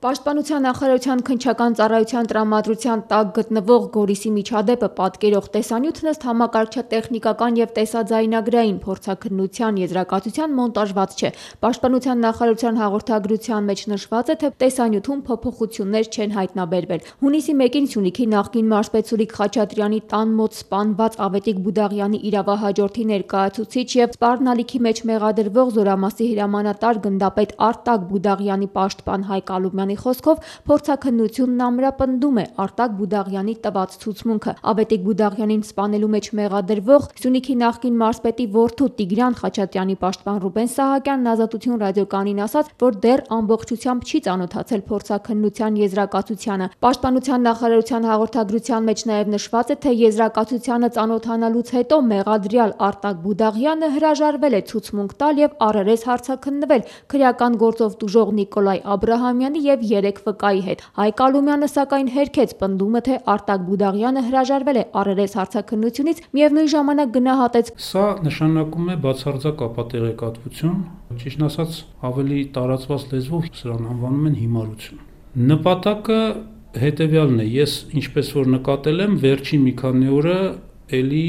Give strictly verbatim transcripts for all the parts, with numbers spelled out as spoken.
Պաշտպանության նախարարության քննչական ծառայության տրամադրության տակ գտնվող Գորիսի միջադեպը պատկերող տեսանյութն ըստ համակարգչատեխնիկական և տեսաձայնագրային փորձաքննության եզրակացության մոնտաժված չէ։ Պաշտպանության նախարարության հաղորդագրության մեջ նշված է, թե տեսանյութում փոփոխություններ չեն հայտնաբերվել։ Հունիսի մեկին Սյունիքի նախկին մարզպետ Սուրիկ Խաչատրյանի տան մոտ սպանված Ավետիք Բուդաղյանի իրավահաջորդի ներկայացուցիչ և սպառնալիքի մեջ մեղադրվող Զորամասի հրամանատար գնդապետ Արտակ Բուդաղյանի պաշտպան Հայկ Ալումյանի խոսքով փորձաքննությունն ամրապնդում է Արտակ Բուդաղյանի տված ցուցմունքը։ Ավետիք Բուդաղյանին սպանելու մեջ մեղադրվող Սյունիքի նախկին մարզպետի որդու Տիգրան Խաչատրյանի պաշտպան Ռուբեն Սահակյանն Ազատություն ռադիոկայանին ասաց, որ դեռ ամբողջությամբ չի ծանոթացել փորձաքննության եզրակացությանը։ Պաշտպանության նախարարության հաղորդագրության մեջ նաև նշված է, թե եզրակացությանը ծանոթանալուց հետո մեղադրյալ Արտակ Բուդաղյանը հրաժարվել է ցուցմունք տալ և առերես հարցաքննվել քրեական գործով տուժող Նիկոլայ Աբրահամյանի և երեք վկայի հետ։ Հայկ Ալումյանը սակայն հերքեց պնդումը, թե Արտակ Բուդաղյանը հրաժարվել է առերես հարցաքննությունից, միևնույն ժամանակ գնահատեց. Սա նշանակում է բացարձակ ապատեղեկատվություն, ճիշտն ասած ավելի տարածված լեզվով սրան անվանում են հիմարություն։ Նպատակը հետևյալն է, ես ինչպես որ նկատել եմ, վերջին մի քանի օրը էլի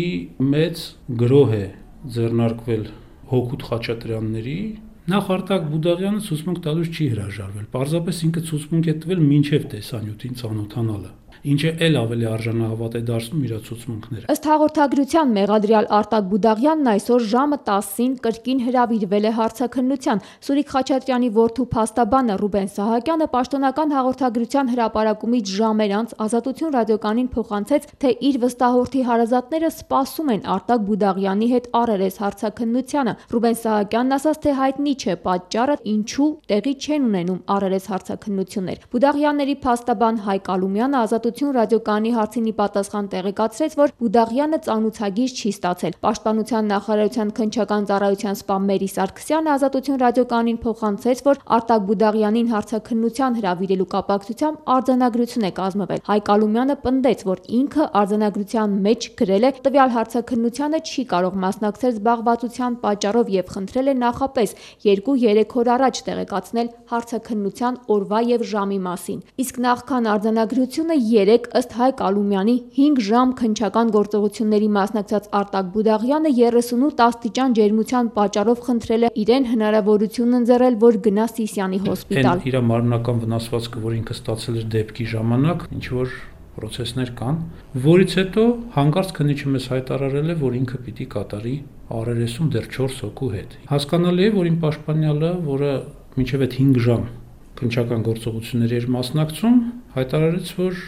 մեծ գրոհ է ձեռնարկվել հօգուտ Խաչատրյանների։ Նախ Արտակ Բուդաղյանը ցուցմունք տալուց չի հրաժարվել, պարզապես ինքը ցուցմունք է տվել մինչև տեսանյութին ծանոթանալը, ինչը էլ ավելի արժանահավատ է դարձնում իր ցուցմունքները։ Ըստ հաղորդագրության մեղադրյալ Արտակ Բուդաղյանն այսօր ժամը տասին կրկին հրավիրվել է հարցաքննության։ Սուրիկ Խաչատրյանի որդու փաստաբանը Ռուբեն Սահակյանը պաշտոնական հաղորդագրության հրապարակումից ժամեր անց Ազատություն ռադիոկայանին փոխանցեց, թե իր վստահորդի հարազատները սպասում են Արտակ Բուդաղյանի հետ առերես հարցաքննությանը։ Ռուբեն Սահակյանն ասաց, թե հայտնի չէ պատճառը, ինչու տեղի չեն ունենում առերես հարցաքննություններ։ Բուդաղյանների փաստաբան Հայկ Ալումյանը Ազատություն ռադիոկայանի հարցին ի պատասխան տեղեկացրեց, որ Բուդաղյանը ծանուցագիր չի ստացել։ Պաշտպանության նախարարության քննչական ծառայության սպա Մերի Սարգսյանը Ազատություն ռադիոկայանին փոխանցեց, որ Արտակ Բուդաղյանին հարցաքննության հրավիրելու կապակցությամբ արձանագրություն է կազմվել։ Հայկ Ալումյանը պնդեց, որ ինքը արձանագրության մեջ գրել է տվյալ հարցաքննությանը չի կարող մասնակցել զբաղվածության պատճառով և խնդրել է նախապես երկու-երեք օր առաջ տեղեկացնել հարցաքննության օրվա և ժամի մասին։ Իսկ նախքան արձանագրությունը երեկ ըստ Հայկ Ալումյանի հինգ ժամ քննչական գործողությունների մասնակցած Արտակ Բուդաղյանը երեսունութ աստիճան ջերմության պատճառով խնդրել է իրեն հնարավորություն ընձեռել, որ գնա Սիսիանի հոսպիտալ։ Իր մարմնական վնասվածքը, որ ինքը ստացել էր դեպքի ժամանակ, ինչ որ պրոցեսներ կան, որից հետո հանկարծ քննիչը մեզ հայտարարել է, որ ինքը պիտի կատարի առերեսում դեռ չորս հոգու հետ։ Հասկանալի է, որ իմ պաշտպանյալը, որը մինչև այդ հինգ ժամ քննչական գործողությունների էր մասնակցում, հայտարարեց, որ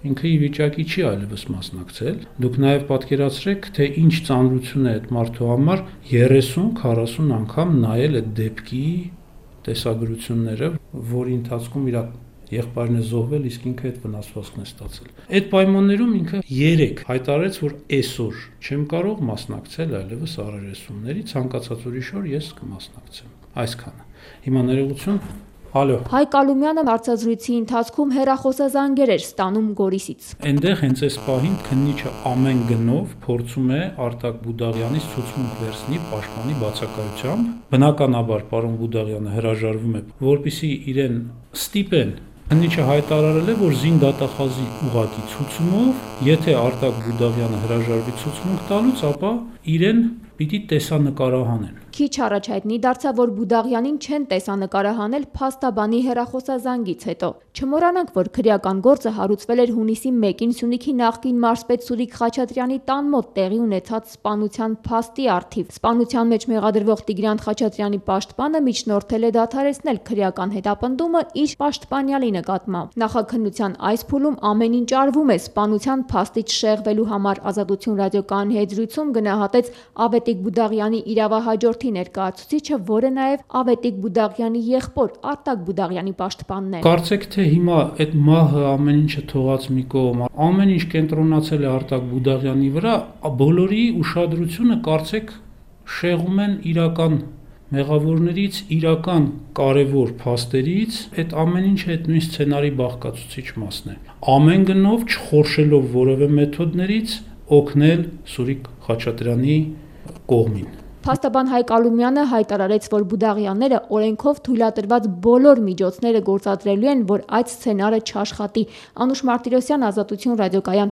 ինքը ի վիճակի չի այլևս մասնակցել։ Դուք նաև պատկերացրեք, թե ինչ ծանրություն է այդ մարդու համար երեսուն քառասուն անգամ նայել այդ դեպքի տեսագրությունները, որի ընթացքում իր եղբայրն է զոհվել, իսկ ինքը այդ վնասվածքն է ստացել։ Այդ պայմաններում ինքը երեք հայտարարեց, որ այսօր չեմ կարող մասնակցել այլևս առերեսումների, ցանկացած ուրիշ օր ես կմասնակցեմ։ Այսքանը։ Հիմա ներողություն։ Ալո։ Հայկ Ալումյանը հարցազրույցի ընթացքում հեռախոսազանգեր էր ստանում Գորիսից։ Այնտեղ հենց այս պահին քննիչը ամեն գնով փորձում է Արտակ Բուդաղյանից ցուցմունք վերցնի պաշտպանի բացակայությամբ։ Բնականաբար պարոն Բուդաղյանը հրաժարվում է, որպեսզի իրեն ստիպեն։ Քննիչը հայտարարել է, որ զին դատախազի ուղղակի ցուցումով, եթե Արտակ Բուդաղյանը հրաժարվի ցուցմունք տալուց, ապա իրեն պիտի տեսանկարահանեն։ Քիչ առաջ հայտնի դարձավ, որ Բուդաղյանին չեն տեսանկարահանել փաստաբանի հեռախոսազանգից հետո։ Չմոռանանք, որ քրեական գործը հարուցվել էր հունիսի մեկին Սյունիքի նախկին մարզպետ Սուրիկ Խաչատրյանի տան մոտ տեղի ունեցած սպանության փաստի առթիվ։ Սպանության մեջ մեղադրվող Տիգրան Խաչատրյանի պաշտպանը միջնորդել է դադարեցնել քրեական հետապնդումը իր պաշտպանյալի նկատմամբ։ Նախաքննության այս փուլում ամեն ինչ արվում է սպանության փաստից շեղվելու համար։ Ազատություն ռադիոկայանի հետ զրույցում գնահատեց Ավետիք Բուդաղյանի իրավահաջորդի ներկայացուցիչը, որը նաև Ավետիք Բուդաղյանի եղբոր Արտակ Բուդաղյանի պաշտպանն է։ Կարծեք թե հիմա այդ մահը ամեն ինչը թողած մի կողմ, ամեն ինչ կենտրոնացել է Արտակ Բուդաղյանի վրա, բոլորի ուշադրությունը կարծեք շեղում են իրական մեղավորներից, իրական կարևոր փաստերից, այդ ամեն ինչը այդ նույն սցենարի բաղկացուցիչ մասն է։ Ամեն գնով չխորշելով որևէ մեթոդներից օգնել Սուրիկ Խաչատրյանի կողմին։ Փաստաբան Հայկ Ալումյանը հայտարարեց, որ Բուդաղյանները օրենքով թույլատրված բոլոր միջոցները գործադրելու են, որ այդ սցենարը չաշխատի։ Անուշ Մարտիրոսյան, Ազատություն ռադիոկայան։